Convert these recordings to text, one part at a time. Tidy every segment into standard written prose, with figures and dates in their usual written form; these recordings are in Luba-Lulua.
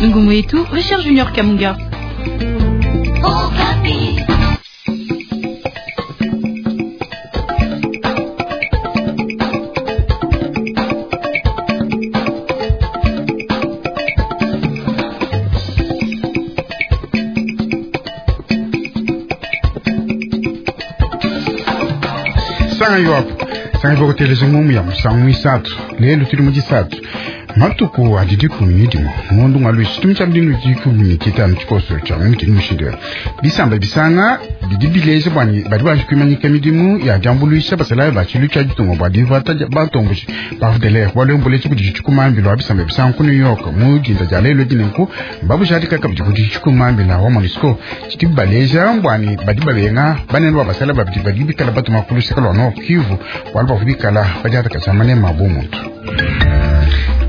Ngumu yetu Richard Junior Kamunga. Sanga yoapo sanga vokuteleja ngumu ya musangu isatu lelo tuli mujisatu matuku adi 11 ngondo ngwa lwisi tumi tshia mudinu 15 tshikoso tshia mutini mushindu bisamba bisanga bidi bileja bwani badi banji kuimanyika midimu ya diambuluisha basalayi ba tshilu tshia ditunga bua divata bantomboshi ba FDLR balomboletshi kudi tshikumambila wa bisamba bisanga ku New York mu dinda dia lelo dinenku mbabujadika kabidi kudi tshikumambila wa MONUSCO tshidi baleja bwani badi babenga banene ba basalayi babidi badi bikala batuma ku luseke lua Nord Kivu bualu bavua bikala badiatakaja manema bu muntu.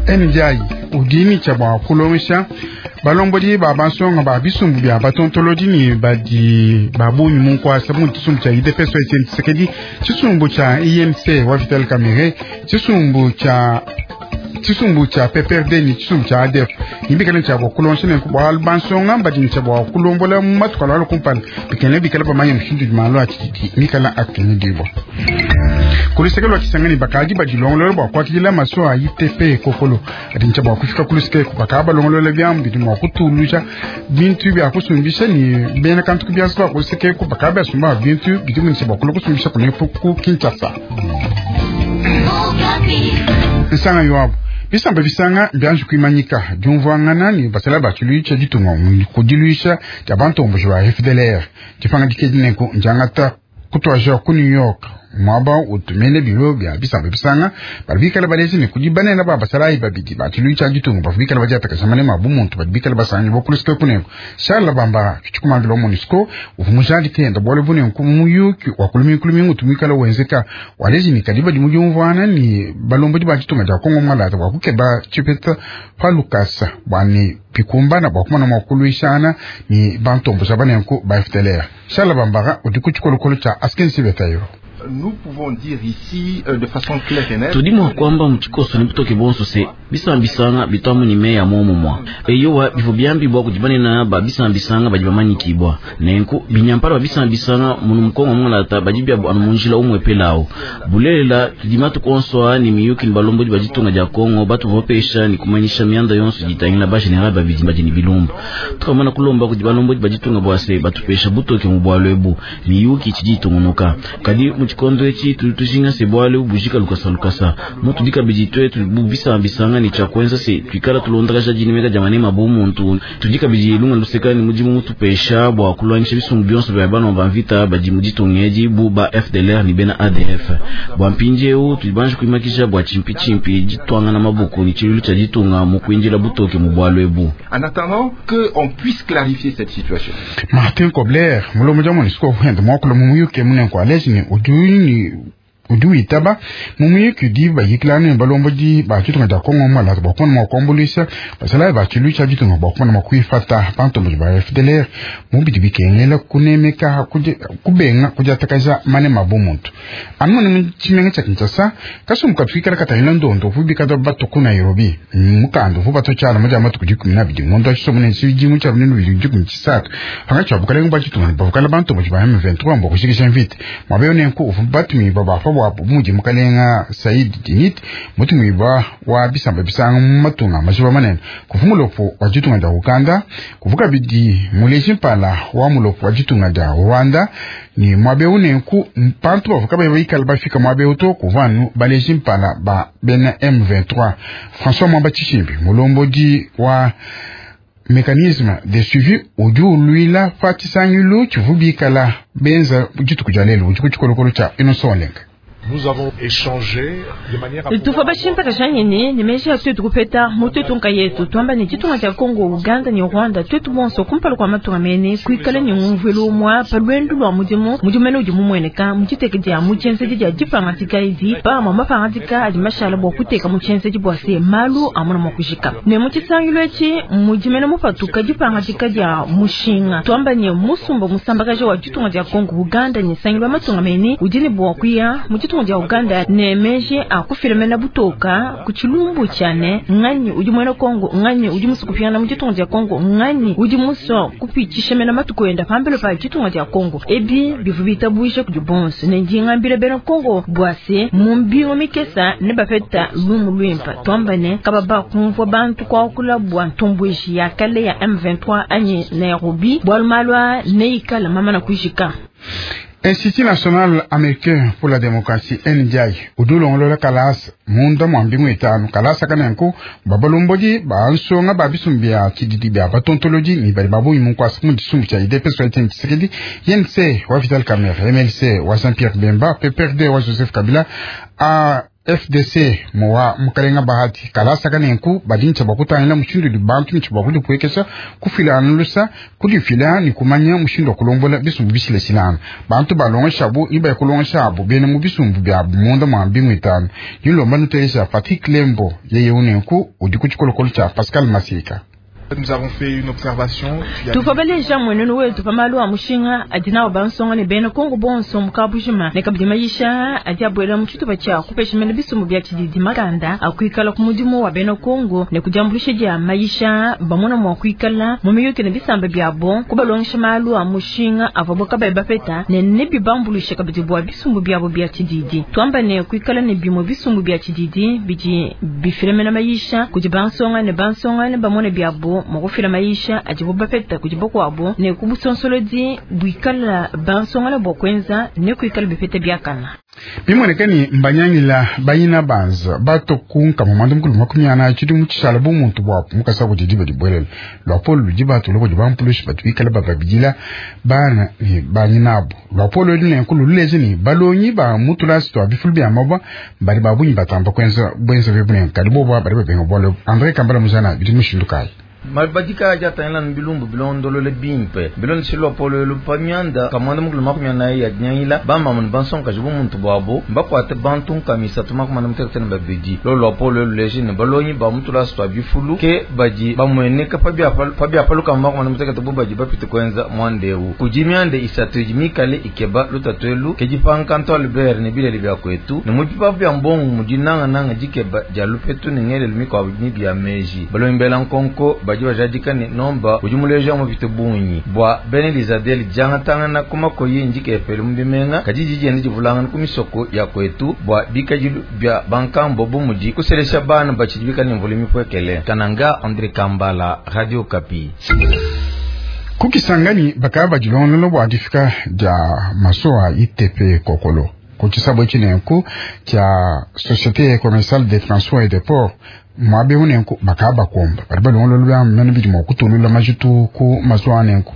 NDI udi tshia bua kulongesha balombodi ba bansonga ba bisumbu bia batontolodi ne badi ba bungi mu nkuasa mu tshisumbu tshia UDPS wa Etienne Tshisekedi, tshisumbu tshia IMC wa Vital Kamerhe, tshisumbu tshia PPRD ne tshisumbu tshia ADF. Nibikale tshia bua kulongesha ne bualu bansonga badi tshia bua kulombola mu matuku alua kumpala bikale bikale bamanye mushindu udi malu a tshididi mikala akengedibua. Kuluseke lua Kisangani bakadi badilongolola bua kuakidila maso a ITP kokolo adi ntshia bua kufika kuluseke bakadi balongolola biamu bidi mua kutuluja bintu bia kusumbisha ne bena kantu kubiasa bua kuluseke bakadi basumba bintu bidi ntshia bua kulua kusumbisha kunepo ku Kinshasa. Nsanga yoabu bisamba bisanga mbianji kuimanyika diumvuangana ne basala ba tshiluilu tshia ditunga kudiluisha dia bantomboji ba FDLR dipangadika dinenku ndiangata kutuaja ku New York mwaba utumene biro bia bisamba bisanga badi bikala baleji ne kudi banene ba basalayi babidi ba tshiluilu tshia ditunga bavua bikala badiatakasha manema a bumuntu badi bikala basangi bokulusike kunenku Charles Bamba tshikumambila wa MONUSCO uvua mujadike enda bualu bunenku muyuki wa kulumingu tumikala wenzeka waleji ne kadi badi mudiumvuana ne balombodi ba ditunga dia Kongo mwalata bua kukeba tshipeta pa lukasa bua ne pikumbana bua kumana mua kuluishana ne bantomboja banenku ba FDLR. Charles Bambara udi ku tshikolokolo tshia Askensi Betayo. Nous pouvons dire ici de façon claire et nette tudimwa kwamba mutshikoso ni butoke bonso se bisambisanga bitwamu ni meya momumwa eyowa bivua byambibwa kudi banene ba bisambisanga badi bamanyikibwa nenku binyampala ba bisambisanga munu mukongo mulata badi byabu anu munjila umwe pelawo bulelela tudi matuku onso a ni miyuki ni balombodi ba ditunga dia Kongo batu bapesha ni kumanyisha mianda yonso ditangila ba general babidi badi ni bilumbu tukamana kulomba kudi balombodi ba ditunga bua se batupesha butoke mu bwalu ebu miyuki tshidi itungunuka kadi mutshikondo etshi tudi tujinga se bwalu bujika lukasa lukasa mutu dikabidi twetu bisambisanga ni tshia kuenza se tuikala tulondakaja dinemeka dia manema bu muntu tudi kabidi lunga luseka ni mudimu mutupesha bua kulwangisha bisumbu bionso bia bana ba mvita badi mu ditunga edi bu ba FDLR ni bena ADF bua mpindiewu tudi banji kuimakisha bua tshimpi ditwangana maboko ni tshiluilu tshia ditunga mu kuinjila butoke mu bwalu ebu. En attendant que on puisse clarifier cette situation. Martin Kobler mulombodi wa MONUSCO wenda muakula mu muyuki munenku aleji ne udi witaba mu muyuki udi bayikilana ne balombodi ba ditunga dia Kongo mwalata bua kumona mua kuambuluisha basalayi ba tshiluilu tshia ditunga bua kumona mua kuifata bantomboji ba FDLR mu bidi bikengela kunemeka kubenga kudiatakaja manema bu muntu anu mune mu tshimenga tshia Kinshasa kasumbu katuikala katangila ndondo uvua bikala batu ku Nairobi mukanda uvua batu tshiala mu dia matuku 12 ngondo wa tshisomo ne tshidimu tshia 2013 pangatshi wa bukalenga bua ditunga bavukala bantomboji ba M23 mbua kushikisha mvita mwaba nenku uvua batumibua bafa bua mudi mukalenga Said Dinit mutumibua wa bisamba bisanga mu matunga majiba manene kuva mulopo wa ditunga dia Uganda kuva kabidi muleji mpala wa mulopo wa ditunga dia Rwanda ni mwabeu nenku mpantu bavuka baikala bafika mwabeu to kuva anu baleji mpala ba bena M23 François Mwamba Tshishimbi mulombodi wa mécanisme de suivi udi ulwila pa tshisangilu tshivu bikala benza dituku dia lelo udi ku tshikolokolo tshia Innocent Olenga. Nous avons échangé de manière à tufa bashimpaka nyene ne meji ya twetu kupeta mu twetu nkayetu twamba ne ditunga dia Kongo Uganda ne Rwanda twetu bonso kumpala kua matunga mene kuikala ne ngumvuilu umua pa lwendu lua mudimu mudimene udi mumueneka mu diteke dia mu tshienzedi dia dipangadika edi pamue mapangadika adi mashala bua kuteka mu tshienzedi bua se malu amuna mua kujika ne mu tshisangilu etshi mudimene mupatuka dipangadika dia mushinga twamba ne musumba musambakaja wa ditunga dia Kongo Uganda ne sangilu wa matunga mene udi ne bua kuya mu ditunga ditunga dia Uganda ne meji a kufila mena butoka ku tshilumbu tshia ne nganyi udi muena Kongo, nganyi udi musue kupingana mu ditunga dia Kongo, nganyi udi musue kupitshisha mena matuku enda pambelo pa ditunga dia Kongo. Ebi bivua bitabuje kudi bonso ne ndi ngambila bena Kongo bua se mu mbingu mikesa ne bapeta lumu luimpe. Tuamba ne kababa kumvua bantu kuakula bua ntomboji ya kale ya M23 anyi Nairobi bualu malu aa neikale mamana kujika. Institut National Américain pour la Démocratie NDI udi ulongolola kalasa munda mua mbingu itanu. Kalasa kanenku babalombodi bansonga ba bisumbu bia tshididi bia batontolodi ne badi babungi mu nkuasa mu tshisumbu tshia UDPS wa Etienne Tshisekedi, INC wa Vital Kamerhe, MLC wa Jean-Pierre Bemba, PPRD wa Joseph Kabila, a FDC muwa mukalenga Bahati. Kalasa kanenku badi ntshia bua kutangila mushindu udi bantu ntshia bua kudipuekesha, kufila anu lusa, kudifila ne kumanya mushindu wa kulombola bisumbu bishilashilangana. Bantu balongeshabu ne baya kulongeshabu bena mu bisumbu biabu munda mua mbingu itanu. Dilomba nuteleja Patrick Lembo yeye unenku udi ku tshikolokolo tshia Pascal Masika. Nous avons fait une observation. Tuvua baleja mwenenu wetu pa malu a mushinga adi nawo bansonga ne bena Kongo bonso mu kabujima ne kabidi mayisha adi abuela mu tshitupa tshia kupesha mena bisumbu bia tshididi makanda a kuikala ku mudimu wa bena Kongo ne kudiambulisha dia mayisha bamona mua kuikala mu miyuki ne bisamba biabo kubalongesha malu a mushinga avuabo kabayi bapeta ne nebibambuluishe kabidi bua bisumbu biabo bia tshididi. Tuamba ne kuikala ne bimue bisumbu bia tshididi bidi bifila mena mayisha kudi bansonga ne bansonga ne bamone biabo mua kufila mayisha adibo bapeta kudi bakuabo ne kubusonsolodi buikala bansonga bua kuenza ne kuikala bipeta biakana. Bimonekani mbanyangila bayina banza bato kunka mu mukulu 40 tshidi mu tshishala bu muntu bua mukasa kudi diba dibwelela lwapolo ludi batu loko dibampulushi batu bikala bababidila bana ne banyinabo. Lwapolo ludi nenkulu luleje ne balongi ba mutulasi twa bifulu bia mabwa badi babunyi batamba kuenza bwenza bebune kadi bobo badi babenga bwalo. Andre Kambala muzana bidi mushindu kayi. Mabadika aja tangila bilumbu bilondolole bimpe bilondeshilwa polo lupamyanda kamanda mukulu 40 ya nyangila bamama ne bansonga jibu muntu bwabo mbakwate bantu nkamisa tuma kumanda mutekete ne babidi lolo polo luleje ne balonyi ba mutula swa bifulu ke badi bamweneka pabia paluka makumanda mutekete bo badi bapite kwenza mwandewu kujimyande isatu jimikale ikeba lutatwelu kejipankanto Albert ne bilele bya kwetu ne mupipa bya mbongo mudinanga nanga jikeba jalupetu ne ngele lumiko bya meji balombela nkonko badi bajadika ne nomba udi muleja mupite bunyi bwa bene Elizabeth jangatangana kumako yinji kepele mubimenga kajiji jende jivulangana kumisoko ya kwetu bwa bikajilu bya bankambo bumudi kuselesha bana bachidibika ne mvule mipwekele. Kananga Andre Kambala, Radio Kapi. Kukisangani bakaba jilongolo bwa difika ja masoa ITP kokolo kuchisabo chinenku cha Société Commerciale de Transport et de Port mwabe unenku bakaba komba bali balongolo lwa mena bidi mokutulula majitu ku masoa nenku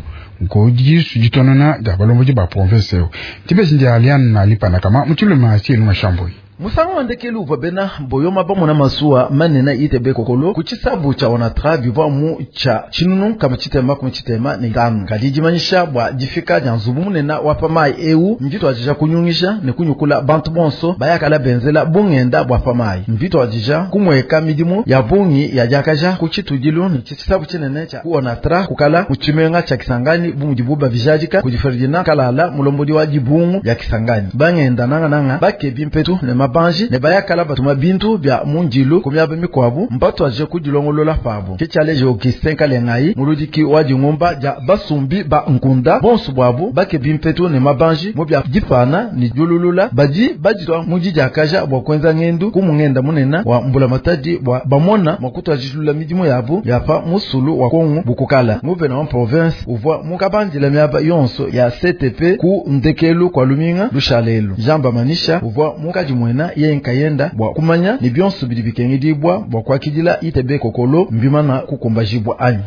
ko jisu jitonona ja balombo ba province eo tibesi ndi alian na lipana kama mutuluma sielu mashamboi. Musanga wandekelu uvua bena boyoma bamona masuwa manena ITB kokolo kuchisabu cha onatra bivua mu cha chinunu kama chitema kuma chitema ne tanu kadi jimanyisha bwa jifika ja nzubu munena wa pamai eu mvitu ajija kunyungisha ne kunyukula bantu bonso bayakala benzela bungenda bwa pamai mvitu ajija kumweka midimu ya bungi ya jakaja kuchitujilu ne chisabu chinene cha ku onatra kukala muchimenga cha Kisangani bumujibu bavijajika kujiferdina kalala mulombodi wa jibungu ya Kisangani bangenda nanga nanga bake bimpetu ne banji ne bayakala batuma bintu bya munjilu kumyaba mikwabu mbatu aje kujilongolola pabo kichaleje okisenka lengai muludiki wa jingumba ja basumbi ba nkunda bonsu bwabu bake bimpetu ne mabanji mu bya jipana ni jululula baji bajitwa mujiji akaja bwa kwenza ngendu kumungenda munena wa mbula matadi bwa bamona makutu ajilula midimu yabu yapa musulu wa Kongo bukukala nguvena wa province uvwa mukabandila myaba yonso ya CTP ku ndekelu kwa luminga lushalelu jamba manisha uvwa mukaji mwena ye nkayenda bwa kumanya ni byonso bidi bikengedibwa bwa kwakidila ITB kokolo mbimana kukumbajibwa anyi.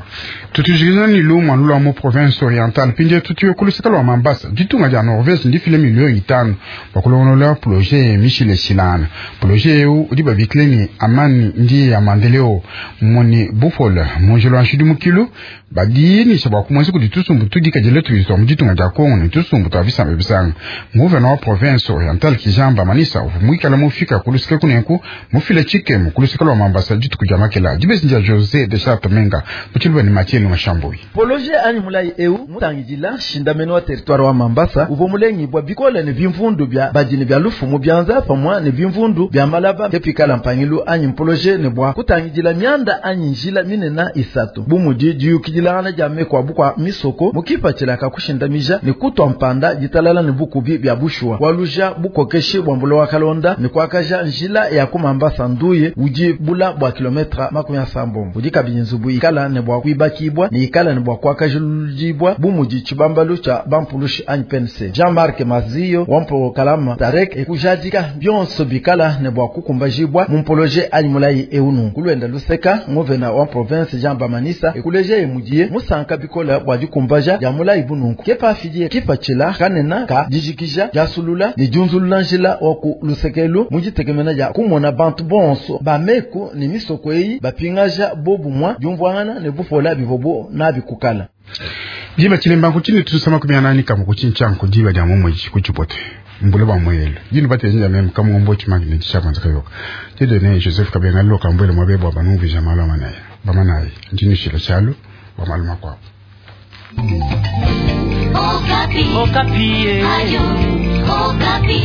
Tutujikizana ni lumwa lula mu province orientale pinde tutuye kulusika lwa Mambasa ditunga dia Norvège ndifile milioni 5 bakulongola projet Michel Silana projet eu udi babikile ni amani ndi ya maendeleo moni bufola monjelo anshidu mukilu badi ni saba kumwezi kuditusumbu tudikajele tuizwa mu ditunga dia Kongo ni tusumbu twa bisamba bisanga nguvena wa province orientale kijamba manisa uvumwike. muikala mufika ku luseke kunenku mufile tshikemu ku luseke lua Mambasa dituku dia makela dibesi dia Jose de Charte Menga mu tshiluba ne Mathieu Mashambui. Poloje anyi mulayi eu mutangidila shindameno wa territoire wa Mambasa uvua mulengibwa bikole ne bimvundu bya badini bya lufu mu byanza pamwa ne bimvundu bya malaba kepikala mpangilu anyi mpoloje ne bwa kutangidila mianda anyi njila minena isatu bumudi diyukidilangana dia meko bukwa misoko mukipatshila kakushindamija ne kutwa mpanda ditalala ne bukubi bya bushuwa waluja bukokeshi bwa mbulo wa kalonda ne kwakaja njila ya ku Mambasa nduye udi bula bwa kilometre 70 udi kabidi nzubu ikala ne bwa kuibakibwa ne ikala ne bwa kwakajuludibwa bumudi tshibambalu tshia bampulushi anyi PNC. Jean-Marc Mazio wampo kalama Tarek ekujadika byonso bikala ne bwa kukumbajibwa mumpoloje anyi mulayi eunu kulwenda luseka ngovena wa province Jean Bamanisa ekuleje emudiye musanka bikola bwa dikumbaja ya mulayi bununku kepa fidie kipachila kanena ka dijikija jasulula ne junzulula njila wa ku lusekelu mujitekemena ya kumona bantu bonso bameku ne misoko eyi bapingaja bobu mwa jumvwangana ne bufola bivobo na bikukala. Diba chilemba kuchini tusama kumyanani kama kuchinchanko diba dia mumweji kuchipote mbule ba mwelo jini bate nja mem kama ngombo chimaki ne chapa nzaka yoka tido ne Joseph Kabenga loka mbwele mwabebwa banumvi jamalo manaya bamanayi njini shila chalo ba maluma kwa Okapi. Okapi. Ayo, Okapi.